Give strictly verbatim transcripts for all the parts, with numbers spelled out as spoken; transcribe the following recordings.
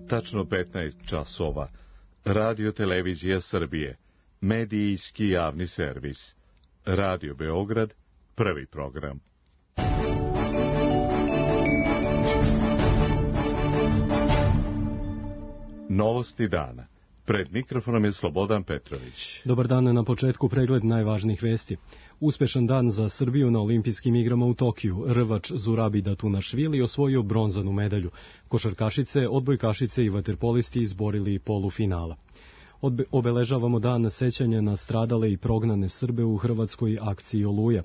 tačno petnaest časova. Radio Televizija Srbije, medijski javni servis. Radio Beograd, prvi program. Novosti dana. Pred mikrofonom je Slobodan Petrović. Dobar dan, na početku pregled najvažnijih vesti. Uspešan dan za Srbiju na olimpijskim igrama u Tokiju. Rvač Zurabi Datunašvili osvojio bronzanu medalju. Košarkašice, odbojkašice i vaterpolisti izborili polufinala. Odbe- obeležavamo dan sećanja na stradale i prognane Srbe u hrvatskoj akciji Oluja.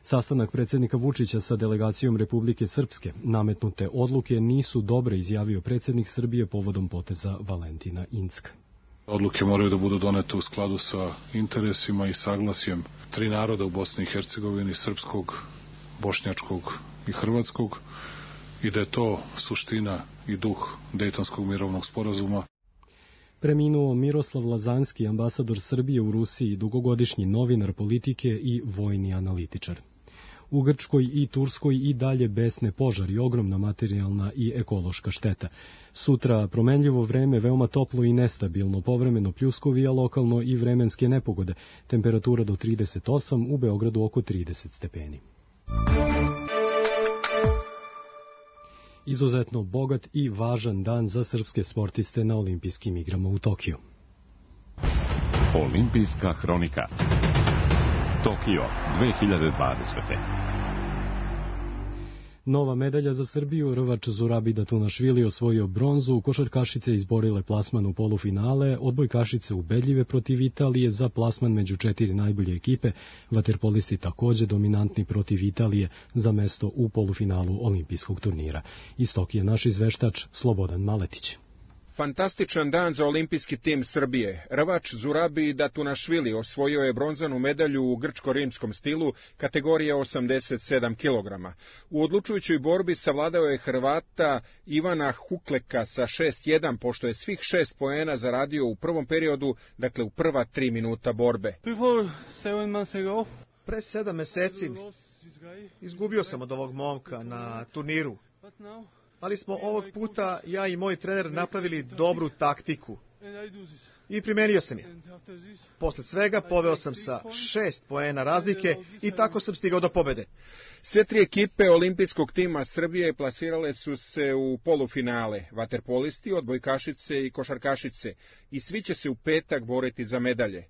Sastanak predsjednika Vučića sa delegacijom Republike Srpske. Nametnute odluke nisu dobre, izjavio predsjednik Srbije povodom poteza Valentina Incka. Odluke moraju da budu donete u skladu sa interesima i saglasjem tri naroda u Bosni i Hercegovini, srpskog, bošnjačkog i hrvatskog, i da je to suština i duh Dejtonskog mirovnog sporazuma. Preminuo Miroslav Lazanski, ambasador Srbije u Rusiji, dugogodišnji novinar politike i vojni analitičar. U Grčkoj i Turskoj i dalje besne požari, ogromna materijalna i ekološka šteta. Sutra promenljivo vreme, veoma toplo i nestabilno, povremeno pljuskovija lokalno i vremenske nepogode. Temperatura do trideset osam, u Beogradu oko trideset stepeni. Izuzetno bogat i važan dan za srpske sportiste na olimpijskim igrama u Tokiju. Olimpijska hronika. Tokio dve hiljade dvadesete. Nova medalja za Srbiju. Rvač Zurabi Datunašvili osvojio bronzu, košarkašice izborile plasman u polufinale, odbojkašice ubedljive protiv Italije za plasman među četiri najbolje ekipe, vaterpolisti takođe dominantni protiv Italije za mesto u polufinalu olimpijskog turnira. Iz Tokija naš izveštač Slobodan Maletić. Fantastičan dan za olimpijski tim Srbije. Rvač Zurabi Datunašvili osvojio je bronzanu medalju u grčko-rimskom stilu kategorije osamdeset sedam kilograma. U odlučujućoj borbi savladao je Hrvata Ivana Hukleka sa šest jedan, pošto je svih šest poena zaradio u prvom periodu, dakle u prva tri minuta borbe. Pre sedam meseci izgubio sam od ovog momka na turniru. Ali smo ovog puta, ja i moj trener, napravili dobru taktiku. I primenio sam je. Posle svega poveo sam sa šest poena razlike i tako sam stigao do pobede. Sve tri ekipe olimpijskog tima Srbije plasirale su se u polufinale. Vaterpolisti, odbojkašice i košarkašice. I svi će se u petak boriti za medalje.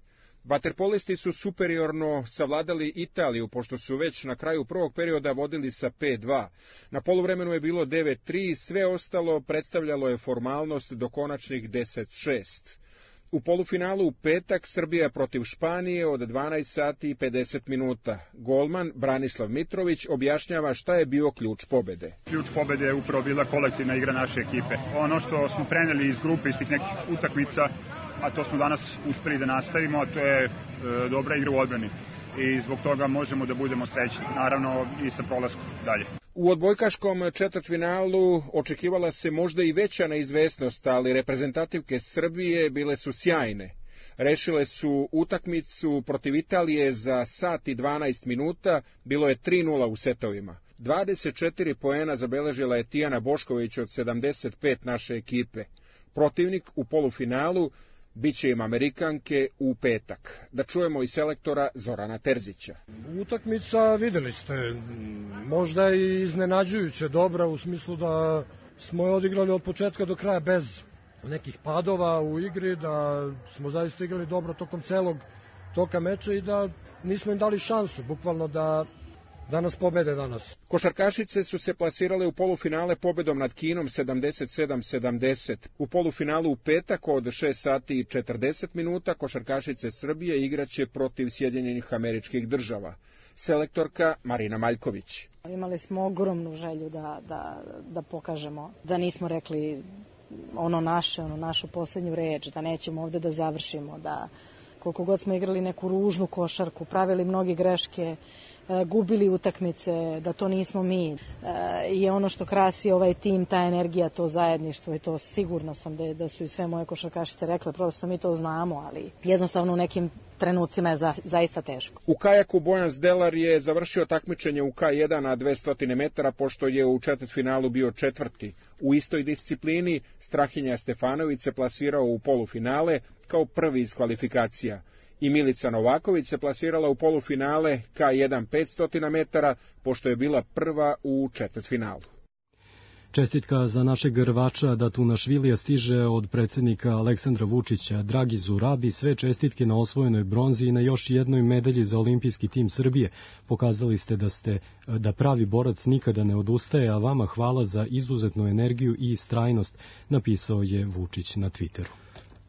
Vaterpolisti su superiorno savladali Italiju, pošto su već na kraju prvog perioda vodili sa pet dva. Na poluvremenu je bilo devet tri, sve ostalo predstavljalo je formalnost do konačnih deset šest. U polufinalu u petak Srbija protiv Španije od dvanaest sati i pedeset minuta. Golman Branislav Mitrović objašnjava šta je bio ključ pobede. Ključ pobede je upravo bila kolektivna igra naše ekipe. Ono što smo preneli iz grupe, iz tih nekih utakmica, a to smo danas uspeli da nastavimo, a to je e, dobra igra u odbrani. I zbog toga možemo da budemo srećni, naravno i sa prolaskom dalje. U odbojkaškom četvrtfinalu očekivala se možda i veća neizvesnost, ali reprezentativke Srbije bile su sjajne. Rešile su utakmicu protiv Italije za sat i dvanaest minuta, bilo je tri nula u setovima. dvadeset četiri poena zabeležila je Tijana Bošković od sedamdeset pet naše ekipe. Protivnik u polufinalu biće im Amerikanke u petak. Da čujemo i selektora Zorana Terzića. Utakmica, videli ste, možda i iznenađujuće dobra, u smislu da smo je odigrali od početka do kraja bez nekih padova u igri, da smo zaista igrali dobro tokom celog toka meča i da nismo im dali šansu, bukvalno da da nas pobede danas. Košarkašice su se plasirale u polufinale pobedom nad Kinom sedamdeset sedam sedamdeset. U polufinalu u petak od šest sati i četrdeset minuta košarkašice Srbije igraće protiv Sjedinjenih Američkih Država. Selektorka Marina Maljković. Imali smo ogromnu želju da, da, da pokažemo, da nismo rekli ono naše, ono našu posljednju reč, da nećemo ovde da završimo, da koliko god smo igrali neku ružnu košarku, pravili mnoge greške, gubili utakmice, da to nismo mi. I ono što krasi ovaj tim, ta energija, to zajedništvo, i to sigurno sam da, da su i sve moje košarkašice rekle, prosto mi to znamo, ali jednostavno u nekim trenucima je za, zaista teško. U kajaku Bojan Zdelar je završio takmičenje u K jedan na dvesta metara, pošto je u četvrtfinalu bio četvrti. U istoj disciplini Strahinja Stefanović se plasirao u polufinale kao prvi iz kvalifikacija. I Milica Novaković se plasirala u polufinale K jedan petsto metara, pošto je bila prva u četvrtfinalu. Čestitka za našeg rvača Datunašvilija stiže od predsjednika Aleksandra Vučića. Dragi Zurabi, sve čestitke na osvojenoj bronzi i na još jednoj medalji za olimpijski tim Srbije. Pokazali ste da ste da pravi borac nikada ne odustaje, a vama hvala za izuzetnu energiju i istrajnost, napisao je Vučić na Twitteru.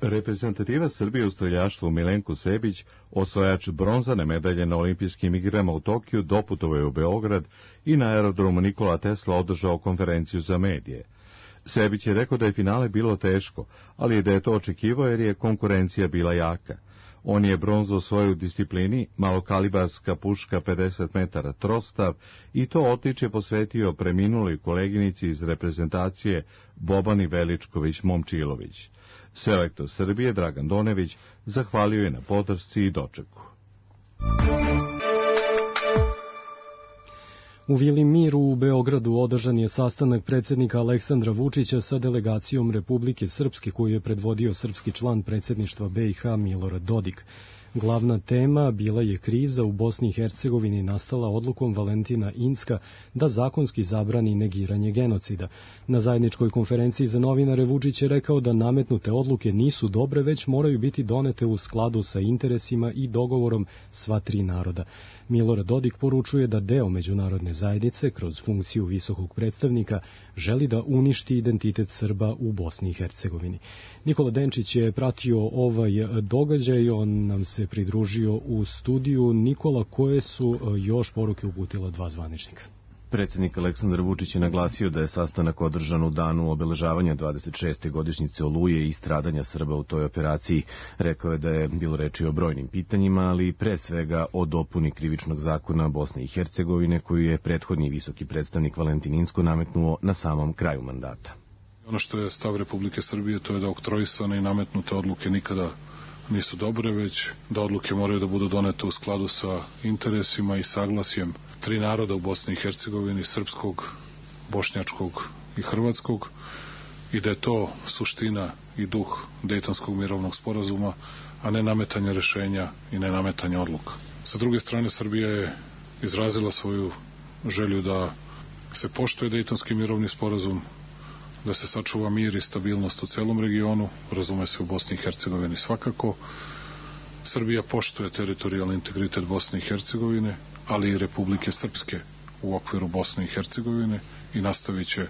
Reprezentativa Srbije u streljaštvu Milenko Sebić, osvajač bronzane medalje na olimpijskim igrama u Tokiju, doputovao je u Beograd i na aerodromu Nikola Tesla održao konferenciju za medije. Sebić je rekao da je finale bilo teško, ali da je to očekivao jer je konkurencija bila jaka. On je bronzu osvojio u disciplini malokalibarska puška pedeset metara trostav i to odličje posvetio preminuloj koleginici iz reprezentacije Bobani Veličković-Momčilović. Selektor Srbije Dragan Donević zahvalio je na podršci i dočeku. U Vili Mir u Beogradu održan je sastanak predsjednika Aleksandra Vučića sa delegacijom Republike Srpske koju je predvodio srpski član predsjedništva B i H Milorad Dodik. Glavna tema bila je kriza u Bosni i Hercegovini nastala odlukom Valentina Incka da zakonski zabrani negiranje genocida. Na zajedničkoj konferenciji za novinare Vučić je rekao da nametnute odluke nisu dobre, već moraju biti donete u skladu sa interesima i dogovorom sva tri naroda. Milorad Dodik poručuje da deo međunarodne zajednice kroz funkciju visokog predstavnika želi da uništi identitet Srba u Bosni i Hercegovini. Nikola Denčić je pratio ovaj događaj, on nam se pridružio u studiju. Nikola, koje su još poruke uputila dva zvaničnika? Predsjednik Aleksandar Vučić je naglasio da je sastanak održan u danu obeležavanja dvadeset šeste godišnjice Oluje i stradanja Srba u toj operaciji. Rekao je da je bilo reči o brojnim pitanjima, ali pre svega o dopuni krivičnog zakona Bosne i Hercegovine, koju je prethodni visoki predstavnik Valentin Incko nametnuo na samom kraju mandata. Ono što je stav Republike Srbije, to je da oktroisane i nametnute odluke nikada nisu dobre, već da odluke moraju da budu donete u skladu sa interesima i saglasjem tri naroda u Bosni i Hercegovini, srpskog, bošnjačkog i hrvatskog, i da je to suština i duh Dejtonskog mirovnog sporazuma, a ne nametanje rešenja i ne nametanje odluka. Sa druge strane, Srbija je izrazila svoju želju da se poštuje Dejtonski mirovni sporazum, da se sačuva mir i stabilnost u celom regionu, razume se u Bosni i Hercegovini svakako. Srbija poštuje teritorijalni integritet Bosne i Hercegovine, ali i Republike Srpske u okviru Bosne i Hercegovine i nastavit će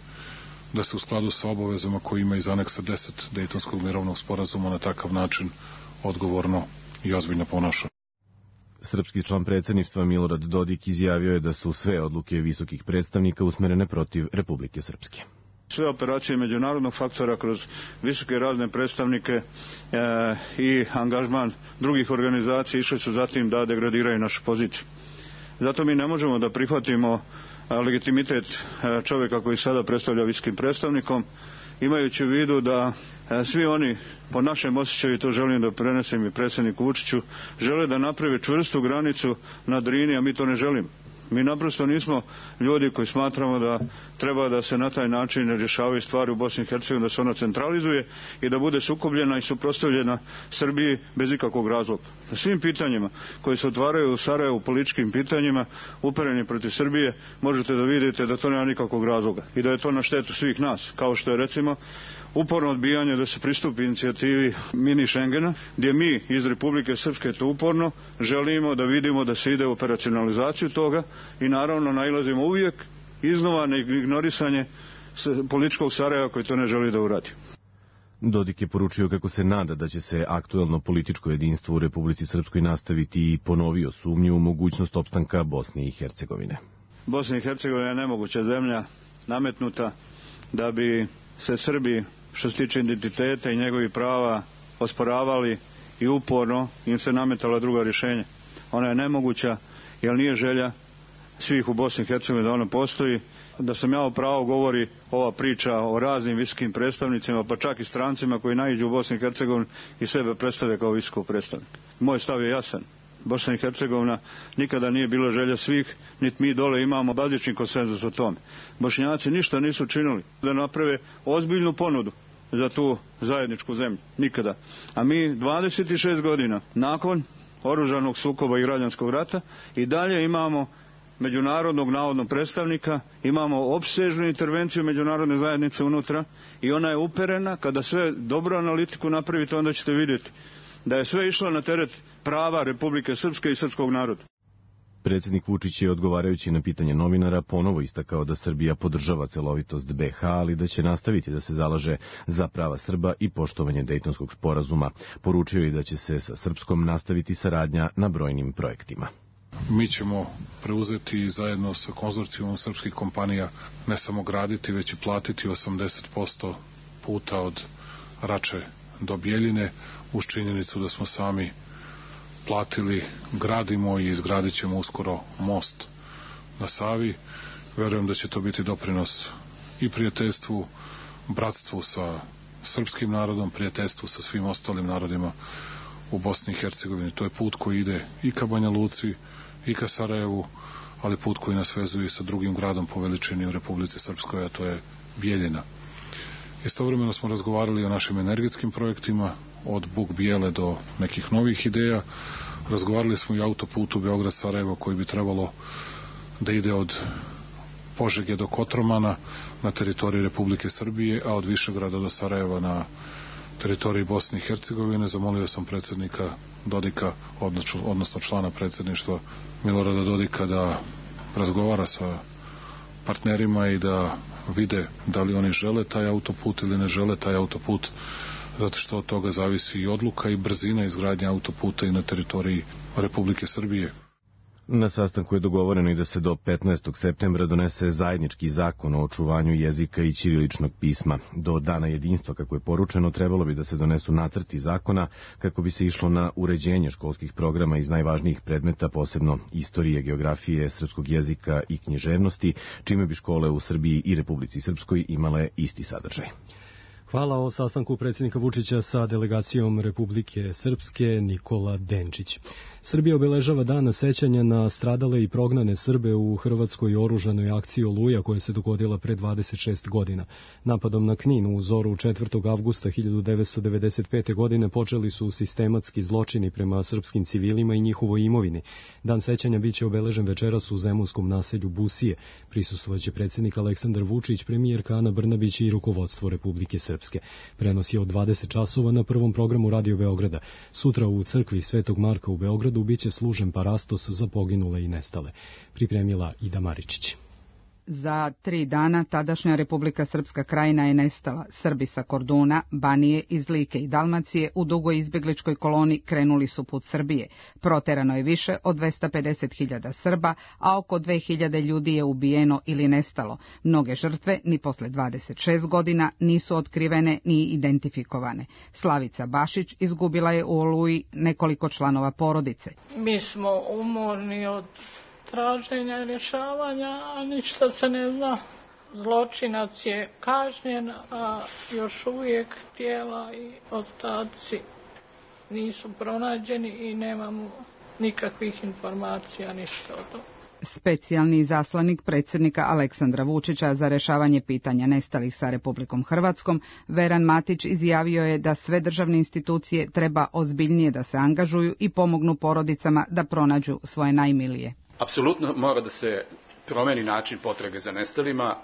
da se u skladu sa obavezama koje ima iz aneksa deset Dejtonskog mirovnog sporazuma na takav način odgovorno i ozbiljno ponaša. Srpski član predsjedništva Milorad Dodik izjavio je da su sve odluke visokih predstavnika usmerene protiv Republike Srpske. Sve operacije međunarodnog faktora kroz visoke razne predstavnike e, i angažman drugih organizacija išli su zatim da degradiraju našu poziciju. Zato mi ne možemo da prihvatimo a, legitimitet a, čovjeka koji sada predstavlja visokim predstavnikom, imajući u vidu da a, svi oni, po našem osjećaju, to želim da prenesem i predsjedniku Vučiću, žele da naprave čvrstu granicu na Drini, a mi to ne želimo. Mi naprosto nismo ljudi koji smatramo da treba da se na taj način rješavaju stvari u Bosni i Hercegovini, da se ona centralizuje i da bude sukobljena i suprotstavljena Srbiji bez ikakvog razloga. Na svim pitanjima koji se otvaraju u Sarajevu, političkim pitanjima upereni protiv Srbije, možete da vidite da to nema nikakvog razloga i da je to na štetu svih nas, kao što je recimo uporno odbijanje da se pristupi inicijativi mini Schengena, gdje mi iz Republike Srpske to uporno želimo da vidimo da se ide u operacionalizaciju toga i naravno nailazimo uvijek iznova na ignorisanje političkog Sarajeva koji to ne želi da uradi. Dodik je poručio kako se nada da će se aktuelno političko jedinstvo u Republici Srpskoj nastaviti i ponovio sumnju u mogućnost opstanka Bosne i Hercegovine. Bosna i Hercegovina je nemoguća zemlja nametnuta da bi se Srbi, što se tiče identiteta i njegovih prava, osporavali i uporno im se nametala druga rješenja. Ona je nemoguća jer nije želja svih u Bosni i Hercegovini da ono postoji. Da sam ja o pravo govori ova priča o raznim visokim predstavnicima, pa čak i strancima koji naiđu u Bosni i Hercegovini i sebe predstave kao visokog predstavnika. Moj stav je jasan. Bosna i Hercegovina nikada nije bila želja svih, niti mi dole imamo bazični konsenzus o tome. Bošnjaci ništa nisu činili da naprave ozbiljnu ponudu za tu zajedničku zemlju. Nikada. A mi dvadeset šest godina nakon oružanog sukoba i građanskog rata i dalje imamo međunarodnog navodnog predstavnika, imamo opsežnu intervenciju međunarodne zajednice unutra i ona je uperena. Kada sve dobro analitiku napravite, onda ćete vidjeti da je sve išlo na teret prava Republike Srpske i srpskog naroda. Predsjednik Vučić je, odgovarajući na pitanje novinara, ponovo istakao da Srbija podržava celovitost be ha, ali da će nastaviti da se zalaže za prava Srba i poštovanje Dejtonskog sporazuma. Poručio je da će se sa Srpskom nastaviti saradnja na brojnim projektima. Mi ćemo preuzeti zajedno sa konzorcijumom srpskih kompanija ne samo graditi, već i platiti osamdeset posto puta od Rače do Bjeljine, uz činjenicu da smo sami platili, gradimo i izgradit ćemo uskoro most na Savi. Verujem da će to biti doprinos i prijateljstvu, bratstvu sa srpskim narodom, prijateljstvu sa svim ostalim narodima u Bosni i Hercegovini. To je put koji ide i ka Banja Luci, i ka Sarajevu, ali put koji nas vezuje sa drugim gradom po veličini u Republici Srpskoj, a to je Bijeljina. Istovremeno smo razgovarali o našim energetskim projektima, od Buk Bijele do nekih novih ideja. Razgovarali smo i o autoputu Beograd-Sarajevo koji bi trebalo da ide od Požege do Kotromana na teritoriji Republike Srbije, a od Višegrada do Sarajeva na teritoriji Bosne i Hercegovine. Zamolio sam predsjednika Dodika, odnosno člana predsjedništva Milorada Dodika, da razgovara sa partnerima i da vide da li oni žele taj autoput ili ne žele taj autoput, zato što od toga zavisi i odluka i brzina izgradnje autoputa i na teritoriji Republike Srbije. Na sastanku je dogovoreno i da se do petnaestog septembra donese zajednički zakon o očuvanju jezika i ćiriličnog pisma. Do dana jedinstva, kako je poručeno, trebalo bi da se donesu nacrti zakona kako bi se išlo na uređenje školskih programa iz najvažnijih predmeta, posebno istorije, geografije, srpskog jezika i književnosti, čime bi škole u Srbiji i Republici Srpskoj imale isti sadržaj. Hvala o sastanku predsjednika Vučića sa delegacijom Republike Srpske Nikola Denčić. Srbija obeležava dan sećanja na stradale i prognane Srbe u hrvatskoj oružanoj akciji Oluja koja se dogodila pre dvadeset šest godina. Napadom na Knin u zoru četvrtog avgusta hiljadu devetsto devedeset pete. godine počeli su sistematski zločini prema srpskim civilima i njihovoj imovini. Dan sećanja biće obeležen večeras u zemunskom naselju Busije. Prisustvovaće predsjednik Aleksandar Vučić, premijerka Ana Brnabić i rukovodstvo Republike Srpske. Prenos je od dvadeset časova na prvom programu Radio Beograda. Sutra u crkvi Svetog Marka u Beogradu biće služen parastos za poginule i nestale. Pripremila Ida Maričić. Za tri dana tadašnja Republika Srpska Krajina je nestala. Srbi sa Korduna, Banije, iz Like i Dalmacije u dugoj izbjegličkoj koloni krenuli su put Srbije. Proterano je više od dvesta pedeset hiljada Srba, a oko dve hiljade ljudi je ubijeno ili nestalo. Mnoge žrtve, ni posle dvadeset šest godina, nisu otkrivene ni identifikovane. Slavica Bašić izgubila je u Oluji nekoliko članova porodice. Mi smo umorni od traženja i rješavanja, a ništa se ne zna. Zločinac je kažnjen, a još uvijek tijela i ostaci nisu pronađeni i nemamo nikakvih informacija, ništa o tom. Specijalni izaslanik predsjednika Aleksandra Vučića za rješavanje pitanja nestalih sa Republikom Hrvatskom, Veran Matić, izjavio je da sve državne institucije treba ozbiljnije da se angažuju i pomognu porodicama da pronađu svoje najmilije. Apsolutno mora da se promeni način potrage za nestalima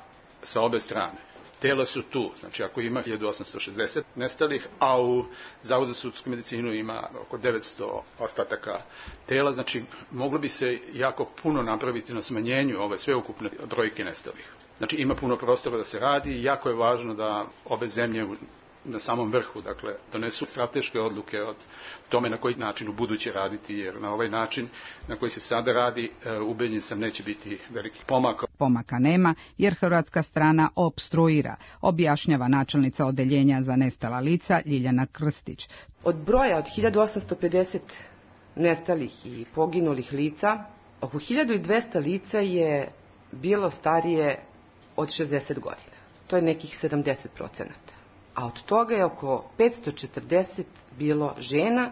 sa obe strane. Tela su tu, znači ako ima hiljadu osamsto šezdeset nestalih, a u Zavodu za sudsku medicinu ima oko devetsto ostataka tela, znači moglo bi se jako puno napraviti na smanjenju ove sveukupne brojke nestalih. Znači ima puno prostora da se radi i jako je važno da obe zemlje na samom vrhu, dakle, donesu strateške odluke od tome na koji način u buduće raditi, jer na ovaj način na koji se sada radi, ubeđen sam, neće biti velikih pomaka. Pomaka nema, jer hrvatska strana opstruira, objašnjava načelnica odeljenja za nestala lica Ljiljana Krstić. Od broja od hiljadu osamsto pedeset nestalih i poginulih lica, Oko hiljadu dvesta lica je bilo starije od šezdeset godina. To je nekih sedamdeset procenata. A od toga je oko petsto četrdeset bilo žena,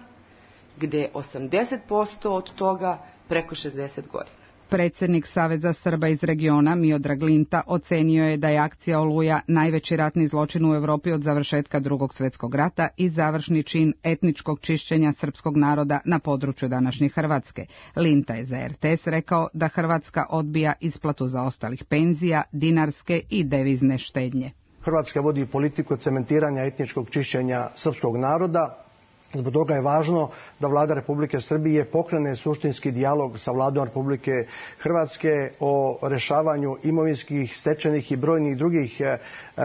gde je osamdeset posto od toga preko šezdeset godina. Predsjednik Saveza Srba iz regiona Miodrag Linta ocenio je da je akcija Oluja najveći ratni zločin u Evropi od završetka Drugog svjetskog rata i završni čin etničkog čišćenja srpskog naroda na području današnje Hrvatske. Linta je za er te es rekao da Hrvatska odbija isplatu zaostalih penzija, dinarske i devizne štednje. Hrvatska vodi politiku cementiranja etničkog čišćenja srpskog naroda. Zbog toga je važno da Vlada Republike Srbije pokrene suštinski dijalog sa Vladom Republike Hrvatske o rešavanju imovinskih, stečenih i brojnih drugih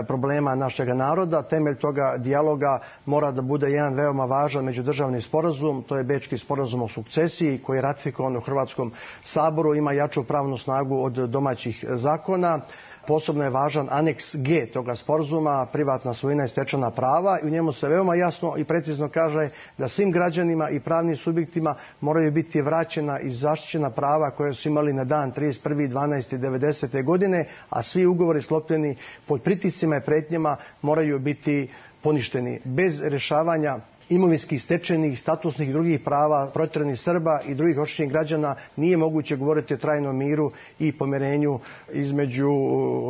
problema našeg naroda. Temelj toga dijaloga mora da bude jedan veoma važan međudržavni sporazum, to je Bečki sporazum o sukcesiji koji je ratifikovan u Hrvatskom saboru, ima jaču pravnu snagu od domaćih zakona. Posebno je važan aneks G toga sporazuma, privatna svojina i stečena prava, i u njemu se veoma jasno i precizno kaže da svim građanima i pravnim subjektima moraju biti vraćena i zaštićena prava koje su imali na dan trideset prvi dvanaesti devedesete. godine, a svi ugovori sklopljeni pod pritiscima i pretnjama moraju biti poništeni. Bez rješavanja imovinskih, stečenih, statusnih i drugih prava protjeranih Srba i drugih oštećenih građana nije moguće govoriti o trajnom miru i pomirenju između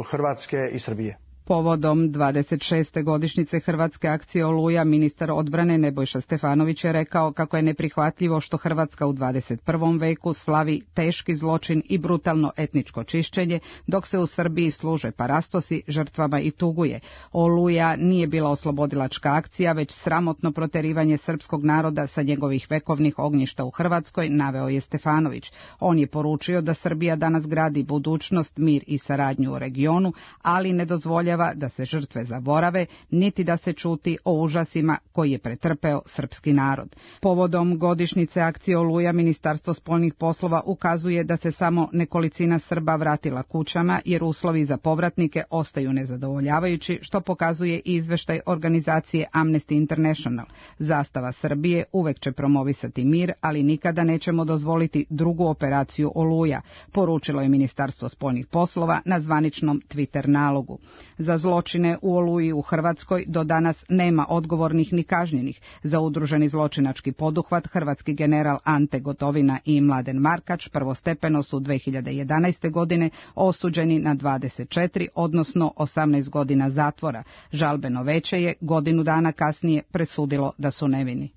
Hrvatske i Srbije. Povodom dvadeset šeste godišnjice Hrvatske akcije Oluja, ministar odbrane Nebojša Stefanović je rekao kako je neprihvatljivo što Hrvatska u dvadeset prvom veku slavi teški zločin i brutalno etničko čišćenje, dok se u Srbiji služe parastosi, žrtvama i tuguje. Oluja nije bila oslobodilačka akcija, već sramotno proterivanje srpskog naroda sa njegovih vekovnih ognjišta u Hrvatskoj, naveo je Stefanović. On je poručio da Srbija danas gradi budućnost, mir i saradnju u regionu, ali ne dozvoljava da se žrtve zaborave, niti da se čuti o užasima koji je pretrpeo srpski narod. Povodom godišnjice akcije Oluja, Ministarstvo spoljnih poslova ukazuje da se samo nekolicina Srba vratila kućama, jer uslovi za povratnike ostaju nezadovoljavajući, što pokazuje i izveštaj organizacije Amnesty International. Zastava Srbije uvek će promovisati mir, ali nikada nećemo dozvoliti drugu operaciju Oluja, poručilo je Ministarstvo spoljnih poslova na zvaničnom Twitter nalogu. Za zločine u Oluji u Hrvatskoj do danas nema odgovornih ni kažnjenih. Za udruženi zločinački poduhvat hrvatski general Ante Gotovina i Mladen Markač prvostepeno su dve hiljade jedanaeste. godine osuđeni na dvadeset četiri, odnosno osamnaest godina zatvora. Žalbeno veće je godinu dana kasnije presudilo da su nevini.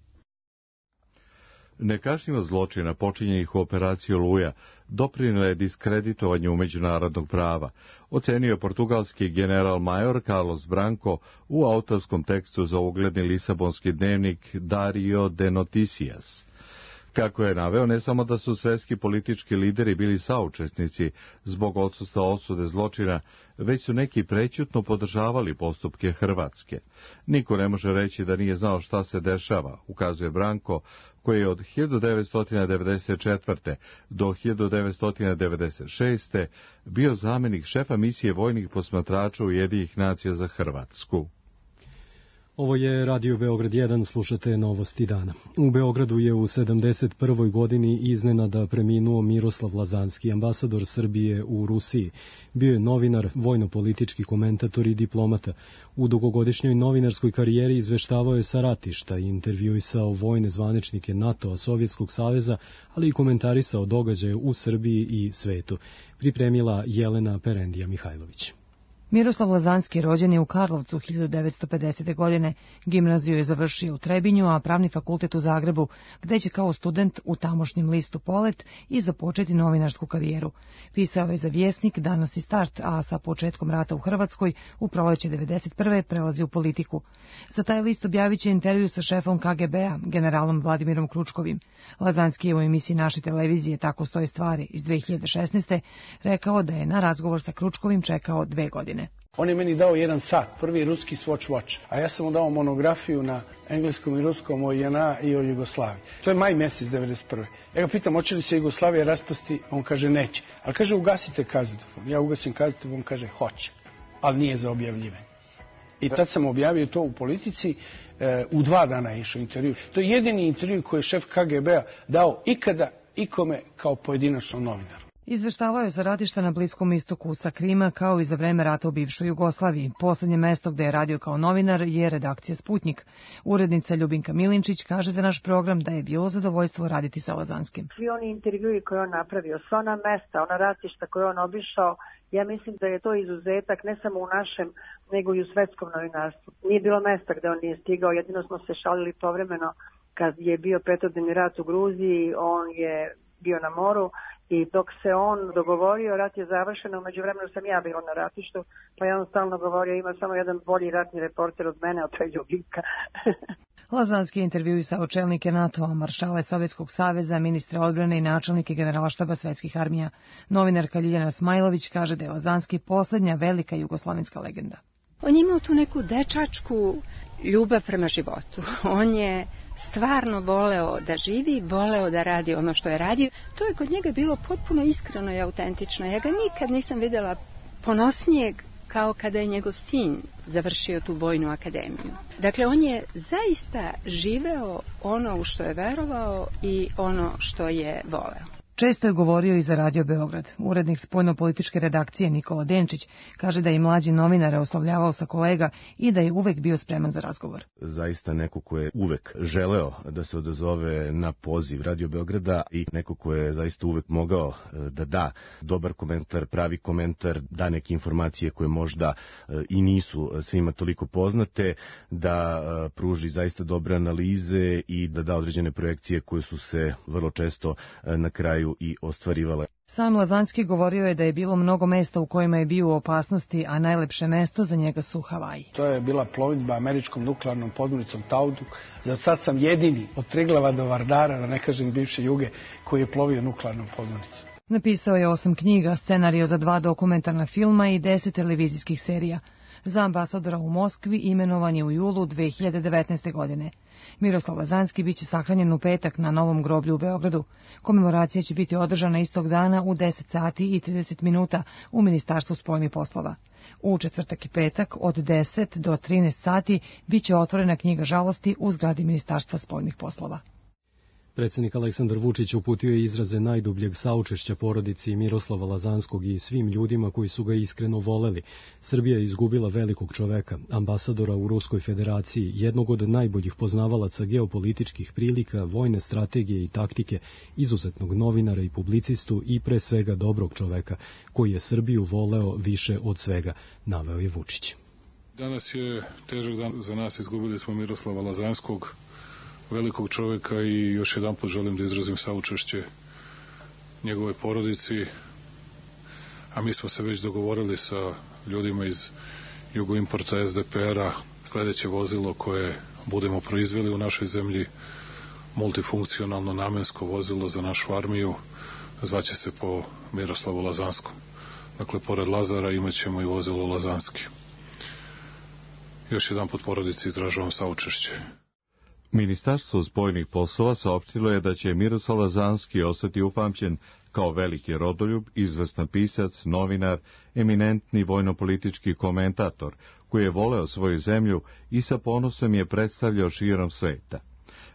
Nekažnjivost zločina počinjenih u operaciji Oluja doprinela je diskreditovanju međunarodnog prava, ocenio portugalski general major Carlos Branco u autorskom tekstu za ugledni lisabonski dnevnik Diário de Noticias. Kako je naveo, ne samo da su svetski politički lideri bili saučesnici zbog odsustva osude zločina, već su neki prećutno podržavali postupke Hrvatske. Niko ne može reći da nije znao šta se dešava, ukazuje Branko, koji je od hiljadu devetsto devedeset četvrte. do hiljadu devetsto devedeset šeste. bio zamjenik šefa misije vojnih posmatrača Ujedinjenih nacija za Hrvatsku. Ovo je Radio Beograd jedan, slušate novosti dana. U Beogradu je u sedamdeset prvoj. godini iznenada preminuo Miroslav Lazanski, ambasador Srbije u Rusiji. Bio je novinar, vojno-politički komentator i diplomata. U dugogodišnjoj novinarskoj karijeri izveštavao je sa ratišta i intervjuisao vojne zvaničnike NATO-a, Sovjetskog saveza, ali i komentarisao događaje u Srbiji i svetu. Pripremila Jelena Perendija Mihajlović. Miroslav Lazanski rođen je u Karlovcu hiljadu devetsto pedesete. godine. Gimnaziju je završio u Trebinju, a pravni fakultet u Zagrebu, gde će kao student u tamošnjem listu Polet i započeti novinarsku karijeru. Pisao je za Vjesnik, Danas i Start, a sa početkom rata u Hrvatskoj u proleće devedeset prve. prelazi u politiku. Za taj list objavit će intervju sa šefom K G B-a, generalom Vladimirom Kručkovim. Lazanski je u emisiji naše televizije Tako stoje stvari iz dve hiljade šesnaeste. rekao da je na razgovor sa Kručkovim čekao dve godine. On je meni dao jedan sat, prvi ruski Swatch Watch, a ja sam mu dao monografiju na engleskom i ruskom o J N A i o Jugoslaviji. To je maj mjesec devedeset prve. Ja ga pitam, hoće li se Jugoslavija raspasti? On kaže, neće. Ali kaže, ugasite kazetofon. Ja ugasim kazetofon, on kaže, hoće. Ali nije za objavljivanje. I tad sam objavio to u Politici, e, u dva dana je išao intervju. To je jedini intervju koji je šef K G B-a dao ikada ikome kao pojedinačnom novinaru. Izveštavao je za ratišta na Bliskom istoku sa Krima kao i za vreme rata u bivšoj Jugoslaviji. Poslednje mesto gde je radio kao novinar je redakcija Sputnjik. Urednica Ljubinka Milinčić kaže za naš program da je bilo zadovoljstvo raditi sa Lazanskim. Svi oni intervjui koje on napravio, sva ona mesta, ona ratišta koje on obišao, ja mislim da je to izuzetak ne samo u našem, nego i u svetskom novinarstvu. Nije bilo mesta gde on nije stigao, jedino smo se šalili povremeno kad je bio petodnevni rat u Gruziji, on je bio na moru. I dok se on dogovorio, rat je završen, umeđu vremenu sam ja bila na ratištu, pa je on stalno govorio, ima samo jedan bolji ratni reporter od mene, a to je Ljubinka. Lazanski je intervjuisao čelnike NATO-a, maršale Sovjetskog saveza, ministre odbrane i načelnike generalštaba svetskih armija. Novinarka Ljiljana Smajlović kaže da je Lazanski poslednja velika jugoslovenska legenda. On je imao tu neku dečačku ljubav prema životu. On je stvarno voleo da živi, voleo da radi ono što je radio. To je kod njega bilo potpuno iskreno i autentično. Ja ga nikad nisam videla ponosnijeg kao kada je njegov sin završio tu vojnu akademiju. Dakle, on je zaista živeo ono u što je verovao i ono što je voleo. Često je govorio i za Radio Beograd. Urednik spoljnopolitičke redakcije Nikola Denčić kaže da je mlađi novinare oslovljavao sa kolega i da je uvek bio spreman za razgovor. Zaista neko ko je uvek želeo da se odazove na poziv Radio Beograda i neko ko je zaista uvek mogao da da dobar komentar, pravi komentar, da neke informacije koje možda i nisu svima toliko poznate, da pruži zaista dobre analize i da da određene projekcije koje su se vrlo često na kraju i ostvarivale. Sam Lazanski govorio je da je bilo mnogo mesta u kojima je bio u opasnosti, a najlepše mesto za njega su Havaji. To je bila plovidba američkom nuklearnom podmornicom Tauduk. Za sad sam jedini od Triglava do Vardara, da ne kažem bivše Juge, koji je plovio nuklearnom podmornicom. Napisao je osam knjiga, scenario za dva dokumentarna filma i deset televizijskih serija. Za ambasadora u Moskvi imenovan je u julu dve hiljade devetnaeste. godine. Miroslav Lazanski biće sahranjen u petak na Novom groblju u Beogradu. Komemoracija će biti održana istog dana u deset sati i trideset minuta u Ministarstvu spoljnih poslova. U četvrtak i petak od deset do trinaest sati biće otvorena knjiga žalosti u zgradi Ministarstva spoljnih poslova. Predsjednik Aleksandar Vučić uputio je izraze najdubljeg saučešća porodici Miroslava Lazanskog i svim ljudima koji su ga iskreno voleli. Srbija je izgubila velikog čoveka, ambasadora u Ruskoj federaciji, jednog od najboljih poznavalaca geopolitičkih prilika, vojne strategije i taktike, izuzetnog novinara i publicistu i pre svega dobrog čoveka, koji je Srbiju voleo više od svega, naveo je Vučić. Danas je težak dan za nas, izgubili smo Miroslava Lazanskog, velikog čoveka, i još jedan put želim da izrazim saučešće njegove porodici, a mi smo se već dogovorili sa ljudima iz Jugoimporta es de pe er-a, sledeće vozilo koje budemo proizveli u našoj zemlji, multifunkcionalno namensko vozilo za našu armiju, zvaće se po Miroslavu Lazanskom. Dakle, pored Lazara imaćemo i vozilo Lazanski. Još jedan put porodici izražavam saučešće. Ministarstvo spoljnih poslova saopštilo je da će Miroslav Lazanski ostati upamćen kao veliki rodoljub, izvestan pisac, novinar, eminentni vojnopolitički komentator, koji je voleo svoju zemlju i sa ponosom je predstavljao širom sveta.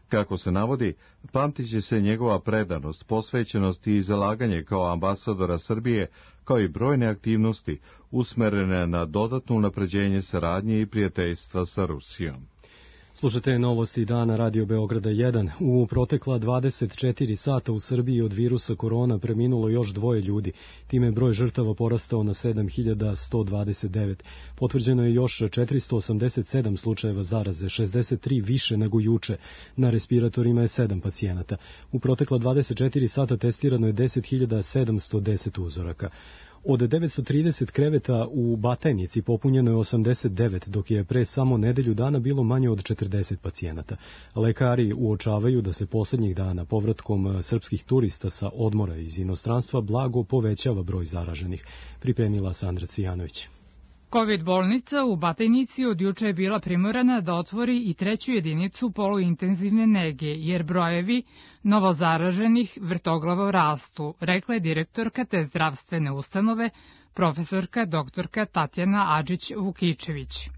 Kako se navodi, pamtit će se njegova predanost, posvećenost i zalaganje kao ambasadora Srbije, kao i brojne aktivnosti usmerene na dodatno unapređenje saradnje i prijateljstva sa Rusijom. Slušate novosti dana Radio Beograda jedan. U protekla dvadeset četiri sata u Srbiji od virusa korona preminulo još dvoje ljudi. Time je broj žrtava porastao na sedam hiljada sto dvadeset devet. Potvrđeno je još četiristo osamdeset sedam slučajeva zaraze, šezdeset tri više nego juče. Na respiratorima je sedam pacijenata. U protekla dvadeset četiri sata testirano je deset hiljada sedamsto deset uzoraka. Od devetsto trideset kreveta u Batajnici popunjeno je osamdeset devet, dok je pre samo nedelju dana bilo manje od četrdeset pacijenata. Lekari uočavaju da se poslednjih dana povratkom srpskih turista sa odmora iz inostranstva blago povećava broj zaraženih, pripremila Sandra Cijanović. Kovid bolnica u Batajnici od juče je bila primorana da otvori i treću jedinicu poluintenzivne nege, jer brojevi novozaraženih vrtoglavo rastu, rekla je direktorka te zdravstvene ustanove, profesorka doktorka Tatjana Adžić-Vukičević.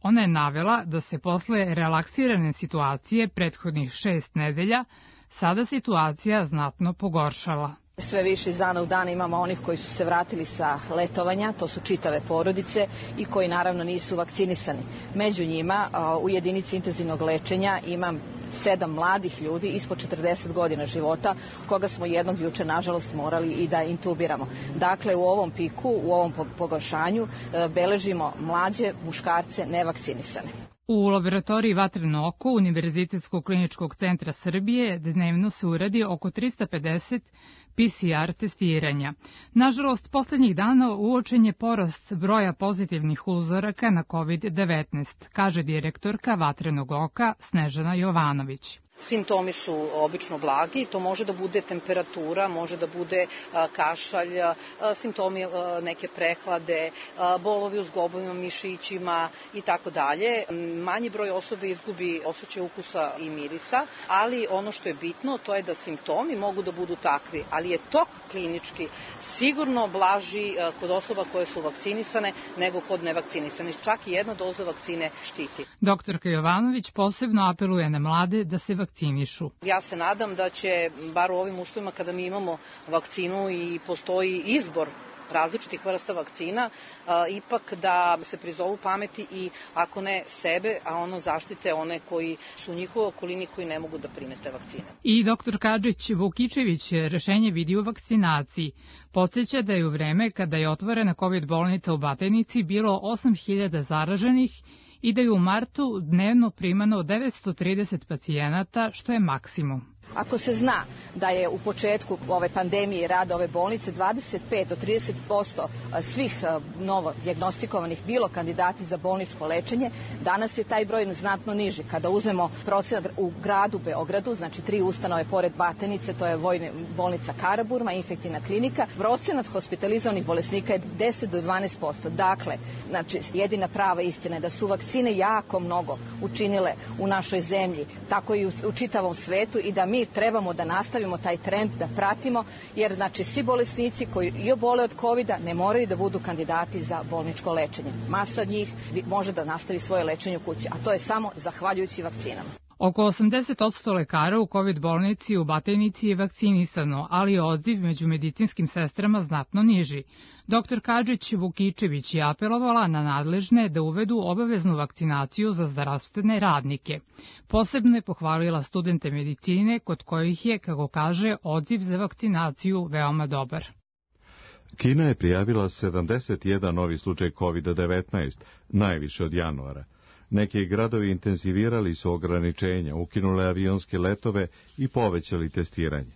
Ona je navela da se posle relaksirane situacije prethodnih šest nedelja sada situacija znatno pogoršala. Sve više iz dana u dan imamo onih koji su se vratili sa letovanja, to su čitave porodice i koji naravno nisu vakcinisani. Među njima u jedinici intenzivnog lečenja imam sedam mladih ljudi ispod četrdeset godina života, koga smo jednog juče nažalost morali i da intubiramo. Dakle, u ovom piku, u ovom pogoršanju beležimo mlađe muškarce nevakcinisane. U laboratoriji Vatreno oko Univerzitetskog kliničkog centra Srbije dnevno se uradi oko trista pedeset P C R testiranja. Nažalost, poslednjih dana uočen je porast broja pozitivnih uzoraka na kovid devetnaest, kaže direktorka Vatrenog oka Snežana Jovanović. Simptomi su obično blagi, to može da bude temperatura, može da bude kašalj, simptomi neke prehlade, bolovi u zglobovima, mišićima i tako dalje. Manji broj osobe izgubi osjećaj ukusa i mirisa, ali ono što je bitno to je da simptomi mogu da budu takvi, ali je tok klinički sigurno blaži kod osoba koje su vakcinisane nego kod nevakcinisanih. Čak i jedna doza vakcine štiti. Doktorka Jovanović posebno apeluje na mlade da se vakcinišu. Ja se nadam da će, bar u ovim uslovima kada mi imamo vakcinu i postoji izbor različitih vrsta vakcina, ipak da se prizovu pameti i ako ne sebe, a ono zaštite one koji su u njihovoj okolini koji ne mogu da primete vakcine. I doktor Kadžić Vukičević rešenje vidi u vakcinaciji. Podsjeća da je u vreme kada je otvorena kovid bolnica u Batajnici bilo osam hiljada zaraženih i da je u martu dnevno primano devetsto trideset pacijenata, što je maksimum. Ako se zna da je u početku ove pandemije rada ove bolnice dvadeset pet do trideset posto svih novo dijagnostikovanih bilo kandidati za bolničko lečenje, danas je taj broj znatno niži. Kada uzmemo procenat u gradu Beogradu, znači tri ustanove pored Batajnice, to je Vojna bolnica Karaburma, infektivna klinika, procenat hospitalizovanih bolesnika je deset do dvanaest posto. Dakle, znači, jedina prava istina je da su vakcine jako mnogo učinile u našoj zemlji, tako i u, u čitavom svetu i da mi trebamo da nastavimo taj trend, da pratimo, jer znači svi bolesnici koji i obole od kovida ne moraju da budu kandidati za bolničko lečenje. Masa od njih može da nastavi svoje lečenje u kući, a to je samo zahvaljujući vakcinama. Oko osamdeset posto lekara u kovid bolnici u Batajnici je vakcinisano, ali je odziv među medicinskim sestrama znatno niži. Doktor Kadžić Vukičević je apelovala na nadležne da uvedu obaveznu vakcinaciju za zdravstvene radnike. Posebno je pohvalila studente medicine kod kojih je, kako kaže, odziv za vakcinaciju veoma dobar. Kina je prijavila sedamdeset jedan novi slučaj kovid devetnaest, najviše od januara. Neki gradovi intenzivirali su ograničenja, ukinule avionske letove i povećali testiranje.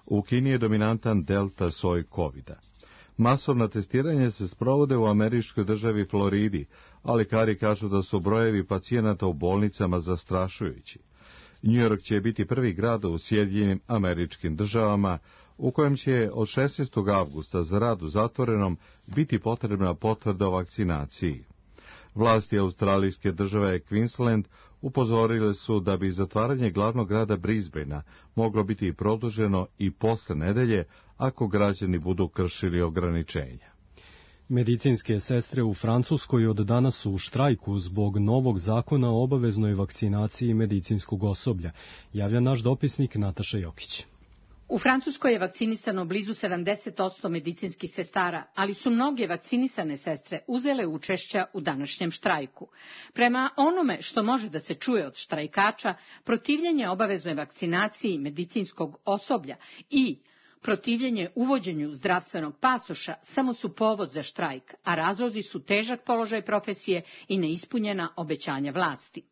U Kini je dominantan delta soj kovida. Masovna testiranja se sprovode u američkoj državi Floridi, ali lekari kažu da su brojevi pacijenata u bolnicama zastrašujući. New York će biti prvi grad u Sjedinjenim Američkim Državama u kojem će od šesnaestog avgusta za rad u zatvorenom biti potrebna potvrda o vakcinaciji. Vlasti australijske države Queensland upozorile su da bi zatvaranje glavnog grada Brisbanea moglo biti produženo i posle nedelje ako građani budu kršili ograničenja. Medicinske sestre u Francuskoj od danas su u štrajku zbog novog zakona o obaveznoj vakcinaciji medicinskog osoblja, javlja naš dopisnik Nataša Jokić. U Francuskoj je vakcinisano blizu sedamdeset posto medicinskih sestara, ali su mnoge vakcinisane sestre uzele učešća u današnjem štrajku. Prema onome što može da se čuje od štrajkača, protivljenje obaveznoj vakcinaciji medicinskog osoblja i protivljenje uvođenju zdravstvenog pasoša samo su povod za štrajk, a razlozi su težak položaj profesije i neispunjena obećanja vlasti.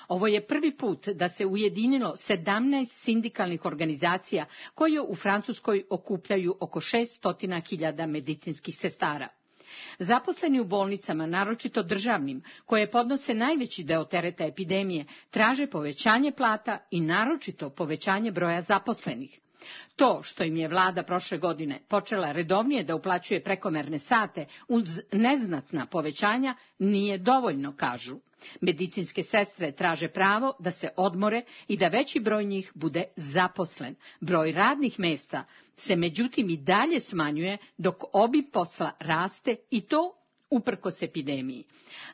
Ovo je prvi put da se ujedinilo sedamnaest sindikalnih organizacija koje u Francuskoj okupljaju oko šesto hiljada medicinskih sestara. Zaposleni u bolnicama, naročito državnim, koje podnose najveći deo tereta epidemije, traže povećanje plata i naročito povećanje broja zaposlenih. To što im je vlada prošle godine počela redovnije da uplaćuje prekomerne sate uz neznatna povećanja nije dovoljno, kažu. Medicinske sestre traže pravo da se odmore i da veći broj njih bude zaposlen. Broj radnih mesta se međutim i dalje smanjuje dok obim posla raste i to uprkos epidemiji.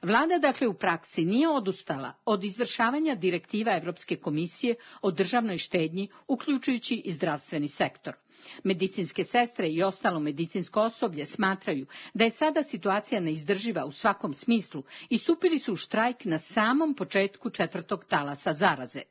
Vlada dakle u praksi nije odustala od izvršavanja direktiva Evropske komisije o državnoj štednji, uključujući i zdravstveni sektor. Medicinske sestre i ostalo medicinsko osoblje smatraju da je sada situacija neizdrživa u svakom smislu i stupili su u štrajk na samom početku četvrtog talasa zaraze.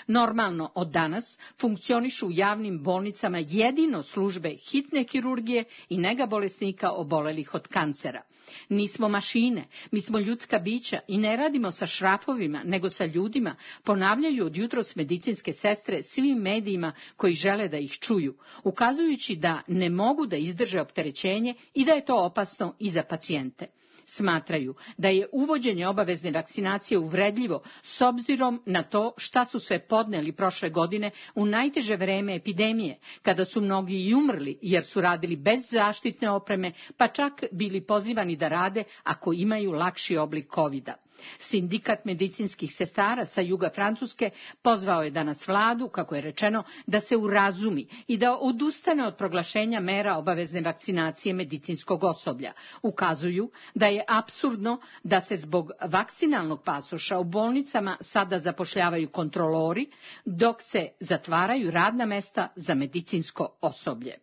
Normalno od danas funkcionišu u javnim bolnicama jedino službe hitne kirurgije i nega bolesnika obolelih od kancera. Nismo mašine, mi smo ljudska bića i ne radimo sa šrafovima, nego sa ljudima, ponavljaju od jutros medicinske sestre svim medijima koji žele da ih čuju, ukazujući da ne mogu da izdrže opterećenje i da je to opasno i za pacijente. Smatraju da je uvođenje obavezne vakcinacije uvredljivo s obzirom na to šta su sve podneli prošle godine u najteže vreme epidemije, kada su mnogi i umrli jer su radili bez zaštitne opreme, pa čak bili pozivani da rade ako imaju lakši oblik kovida. Sindikat medicinskih sestara sa juga Francuske pozvao je danas vladu, kako je rečeno, da se urazumi i da odustane od proglašenja mera obavezne vakcinacije medicinskog osoblja. Ukazuju da je apsurdno da se zbog vakcinalnog pasoša u bolnicama sada zapošljavaju kontrolori, dok se zatvaraju radna mesta za medicinsko osoblje.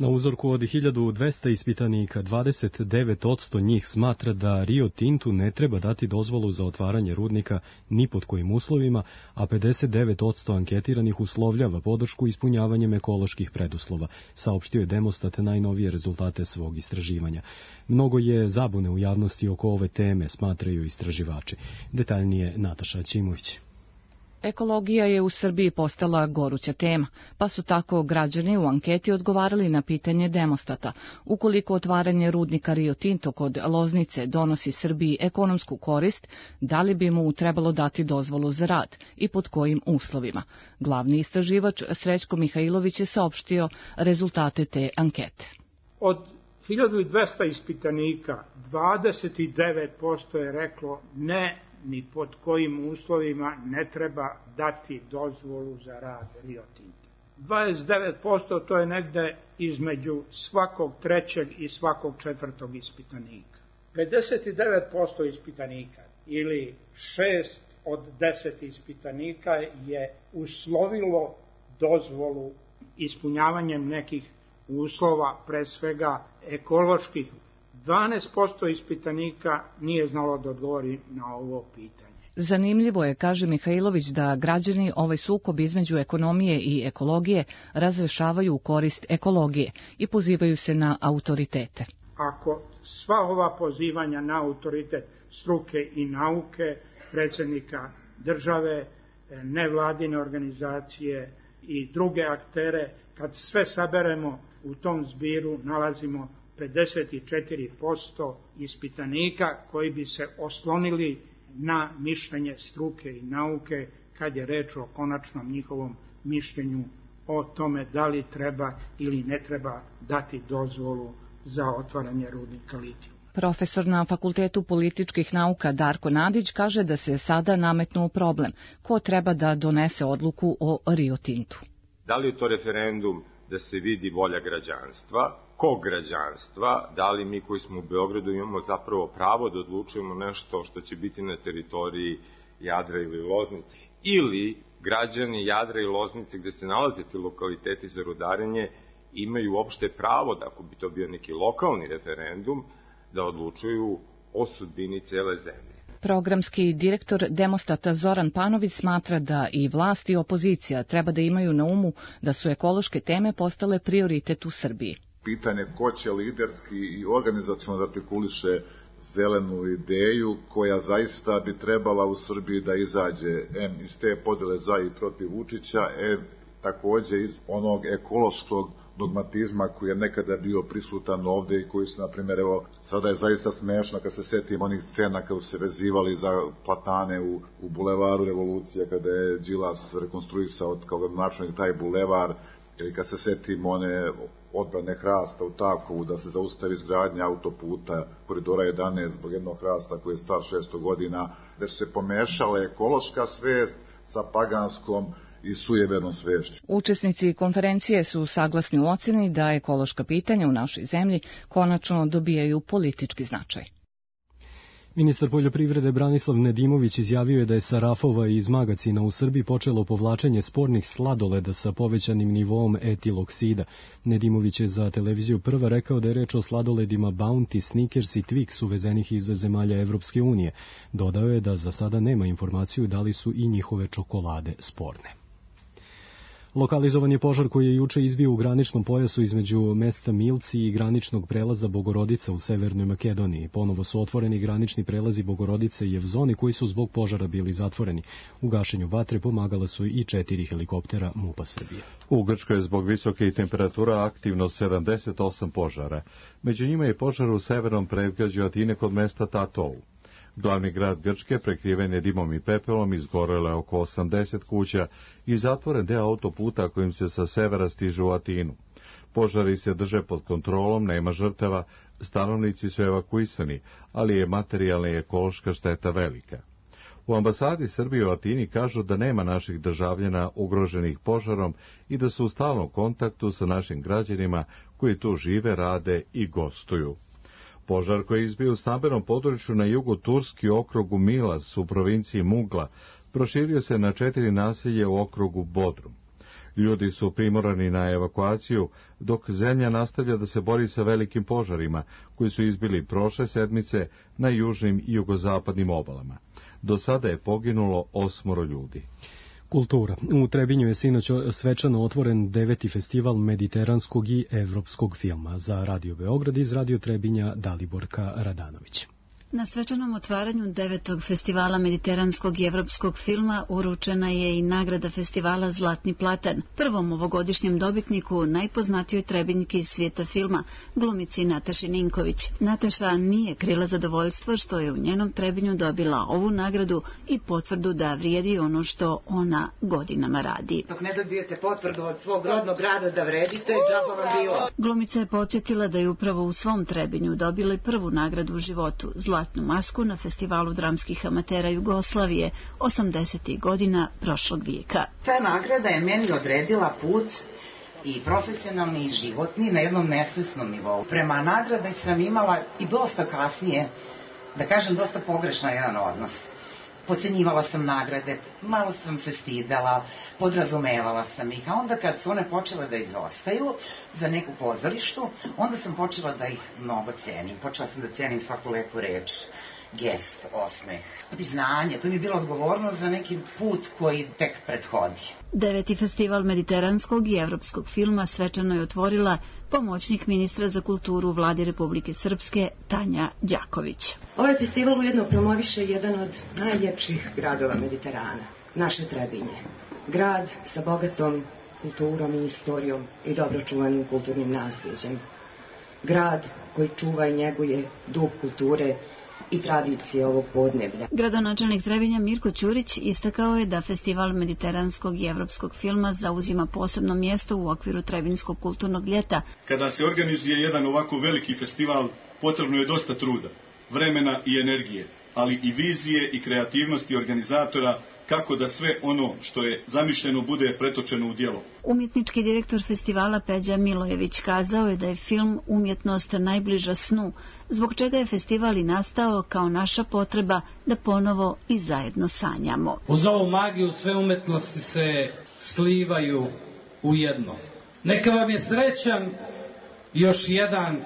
Na uzorku od hiljadu dvesta ispitanika, dvadeset devet posto njih smatra da Rio Tintu ne treba dati dozvolu za otvaranje rudnika ni pod kojim uslovima, a pedeset devet posto anketiranih uslovljava podršku ispunjavanjem ekoloških preduslova, saopštio je Demostat najnovije rezultate svog istraživanja. Mnogo je zabune u javnosti oko ove teme, smatraju istraživači. Detaljnije Nataša Ćimović. Ekologija je u Srbiji postala goruća tema, pa su tako građani u anketi odgovarali na pitanje Demostata. Ukoliko otvaranje rudnika Rio Tinto kod Loznice donosi Srbiji ekonomsku korist, da li bi mu trebalo dati dozvolu za rad i pod kojim uslovima? Glavni istraživač Srećko Mihajlović je saopštio rezultate te ankete. Od hiljadu dvesta ispitanika, dvadeset devet posto je reklo ne, ni pod kojim uslovima ne treba dati dozvolu za rad Rio Tinta. dvadeset devet posto to je negde između svakog trećeg i svakog četvrtog ispitanika. pedeset devet posto ispitanika ili šest od deset ispitanika je uslovilo dozvolu ispunjavanjem nekih uslova, pre svega ekoloških. dvanaest posto ispitanika nije znalo da odgovori na ovo pitanje. Zanimljivo je, kaže Mihajlović, da građani ovaj sukob između ekonomije i ekologije razrešavaju u korist ekologije i pozivaju se na autoritete. Ako sva ova pozivanja na autoritet struke i nauke, predsjednika države, nevladine organizacije i druge aktere, kad sve saberemo u tom zbiru nalazimo pedeset četiri posto ispitanika koji bi se oslonili na mišljenje struke i nauke kad je reč o konačnom njihovom mišljenju o tome da li treba ili ne treba dati dozvolu za otvaranje rudnika litijuma. Profesor na Fakultetu političkih nauka Darko Nadić kaže da se sada nametnuo problem. Ko treba da donese odluku o Rio Tintu? Da li je to referendum da se vidi volja građanstva, kog građanstva, da li mi koji smo u Beogradu imamo zapravo pravo da odlučujemo nešto što će biti na teritoriji Jadra ili Loznice, ili građani Jadra i Loznice gde se nalaze ti lokaliteti za rudarenje imaju uopšte pravo, da ako bi to bio neki lokalni referendum, da odlučuju o sudbini cele zemlje. Programski direktor Demostata Zoran Panović smatra da i vlast i opozicija treba da imaju na umu da su ekološke teme postale prioritet u Srbiji. Pitanje ko će liderski i organizacionalno da artikuliše zelenu ideju koja zaista bi trebala u Srbiji da izađe em iz te podele za i protiv Vučića, em takođe iz onog ekološkog dogmatizma koji je nekada bio prisutan ovde i koji su, na primjer, evo, sada je zaista smešno kad se setim onih scena kada su se vezivali za platane u, u bulevaru Revolucije, kada je Đilas rekonstruisao kao način taj bulevar, ili kad se setim one odbrane hrasta u Takovu da se zaustavi izgradnja autoputa koridora jedanaest zbog jednog hrasta koji je star šesto godina, da su se pomešale ekološka svest sa paganskom i sujevernom svešću. Učesnici konferencije su saglasni u oceni da ekološka pitanja u našoj zemlji konačno dobijaju politički značaj. Ministar poljoprivrede Branislav Nedimović izjavio je da je sa rafova iz magacina u Srbiji počelo povlačenje spornih sladoleda sa povećanim nivoom etiloksida. Nedimović je za televiziju Prva rekao da je reč o sladoledima Bounty, Snickers i Twix uvezenih iz zemalja Evropske unije. Dodao je da za sada nema informaciju da li su i njihove čokolade sporne. Lokalizovan je požar koji je juče izbio u graničnom pojasu između mesta Milci i graničnog prelaza Bogorodica u Severnoj Makedoniji. Ponovo su otvoreni granični prelazi Bogorodice i Jevzoni koji su zbog požara bili zatvoreni. U gašenju vatre pomagala su i četiri helikoptera MUP-a Srbije. U Grčkoj je zbog visoke temperatura aktivno sedamdeset osam požara. Među njima je požar u severnom predgrađu Atine kod mesta Tatou. Glavni grad Grčke prekriven je dimom i pepelom, izgorelo je oko osamdeset kuća i zatvoren deo autoputa kojim se sa severa stiže u Atinu. Požari se drže pod kontrolom, nema žrtava, stanovnici su evakuisani, ali je materijalna i ekološka šteta velika. U ambasadi Srbije u Atini kažu da nema naših državljana ugroženih požarom i da su u stalnom kontaktu sa našim građanima koji tu žive, rade i gostuju. Požar koji je izbio u stambenom području na jugu Turski okrugu Milas u provinciji Mugla proširio se na četiri naselje u okrugu Bodrum. Ljudi su primorani na evakuaciju, dok zemlja nastavlja da se bori sa velikim požarima koji su izbili prošle sedmice na južnim i jugozapadnim obalama. Do sada je poginulo osmoro ljudi. Kultura. U Trebinju je sinoć svečano otvoren deveti festival mediteranskog i evropskog filma. Za Radio Beograd iz Radio Trebinja Daliborka Radanović. Na svečanom otvaranju devetog festivala mediteranskog i evropskog filma uručena je i nagrada festivala Zlatni platan, prvom ovogodišnjem dobitniku, najpoznatijoj Trebinjki iz svijeta filma, glumici Nataši Ninković. Nataša nije krila zadovoljstvo što je u njenom Trebinju dobila ovu nagradu i potvrdu da vrijedi ono što ona godinama radi. Dok ne dobijete potvrdu od svog rodnog grada da vredite, džaba vam bilo. Glumica je podsjetila da je upravo u svom Trebinju dobila i prvu nagradu u životu, Zlatnu masku na festivalu dramskih amatera Jugoslavije osamdesetih godina prošlog vijeka. Ta nagrada je meni odredila put i profesionalni i životni na jednom nesvesnom nivou. Prema nagradi sam imala i dosta kasnije, da kažem, dosta pogrešan jedan odnos. Podcenjivala sam nagrade, malo sam se stidela, podrazumevala sam ih, a onda kad su one počele da izostaju za neku pozorištu, onda sam počela da ih mnogo cenim. Počela sam da cenim svaku lepu reč, gest, osmeh, priznanje. To mi je bila odgovornost za neki put koji tek prethodi. Deveti festival mediteranskog i evropskog filma svečano je otvorila pomoćnik ministra za kulturu u vladi Republike Srpske Tanja Đaković. Ovaj festival ujedno promoviše jedan od najljepših gradova Mediterana, naše Trebinje. Grad sa bogatom kulturom i istorijom i dobro čuvanim kulturnim nasljeđem. Grad koji čuva i njeguje duh kulture i tradicije ovog podneblja. Gradonačelnik Trebinja Mirko Ćurić istakao je da festival mediteranskog i evropskog filma zauzima posebno mjesto u okviru Trebinjskog kulturnog ljeta. Kada se organizuje jedan ovako veliki festival, potrebno je dosta truda, vremena i energije, ali i vizije i kreativnosti organizatora kako da sve ono što je zamišljeno bude pretočeno u djelo. Umjetnički direktor festivala Peđa Milojević kazao je da je film umjetnost najbliža snu, zbog čega je festival i nastao kao naša potreba da ponovo i zajedno sanjamo. Uz ovu magiju sve umjetnosti se slivaju u jedno. Neka vam je srećan još jedan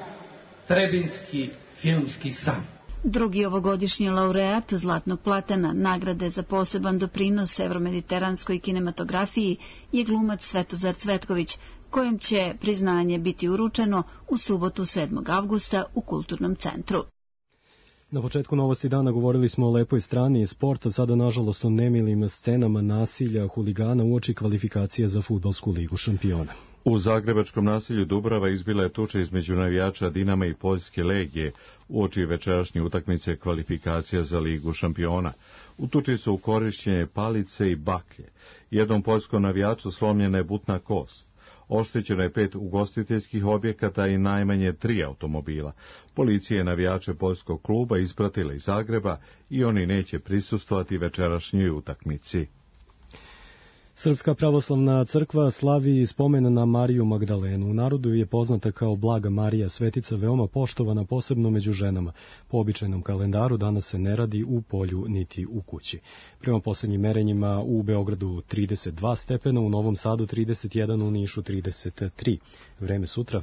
trebinski filmski san. Drugi ovogodišnji laureat Zlatnog platana, nagrade za poseban doprinos evromediteranskoj kinematografiji, je glumac Svetozar Cvetković, kojem će priznanje biti uručeno u subotu sedmog avgusta u Kulturnom centru. Na početku novosti dana govorili smo o lepoj strani sporta, sada nažalost o nemilim scenama nasilja huligana uoči kvalifikacije za fudbalsku ligu šampiona. U zagrebačkom naselju Dubrava izbila je tuča između navijača Dinama i Poljske legije uoči večerašnje utakmice kvalifikacija za ligu šampiona. U tuči su korišćene palice i baklje. Jednom poljskom navijaču slomljena je butna kost. Oštećeno je pet ugostiteljskih objekata i najmanje tri automobila. Policija je navijače poljskog kluba ispratila iz Zagreba i oni neće prisustvovati večerašnjoj utakmici. Srpska pravoslavna crkva slavi spomen na Mariju Magdalenu. U narodu je poznata kao Blaga Marija, svetica veoma poštovana posebno među ženama. Po običajnom kalendaru danas se ne radi u polju niti u kući. Prema poslednjim merenjima u Beogradu trideset dva stepena, u Novom Sadu trideset jedan, u Nišu trideset tri. Vreme sutra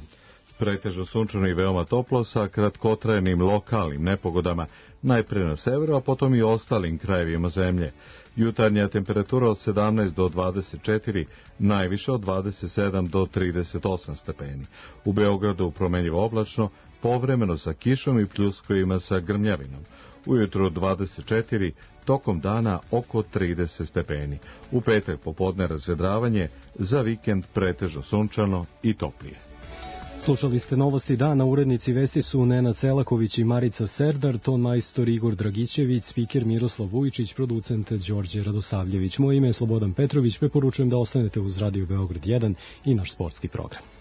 pretežno sunčano i veoma toplo sa kratkotrajnim lokalnim nepogodama, najpre na severu, a potom i ostalim krajevima zemlje. Jutarnja temperatura od sedamnaest do dvadeset četiri, najviše od dvadeset sedam do trideset osam stepeni. U Beogradu promenljivo oblačno, povremeno sa kišom i pljuskovima sa grmljavinom. Ujutro dvadeset četiri, tokom dana oko trideset stepeni. U petak popodne razvedravanje, za vikend pretežno sunčano i toplije. Slušali ste novosti dana, urednici vesti su Nenad Selaković i Marica Serdar, ton majstor Igor Dragićević, spiker Miroslav Vujičić, producent Đorđe Radosavljević. Moje ime je Slobodan Petrović, preporučujem da ostanete uz Radio Beograd jedan i naš sportski program.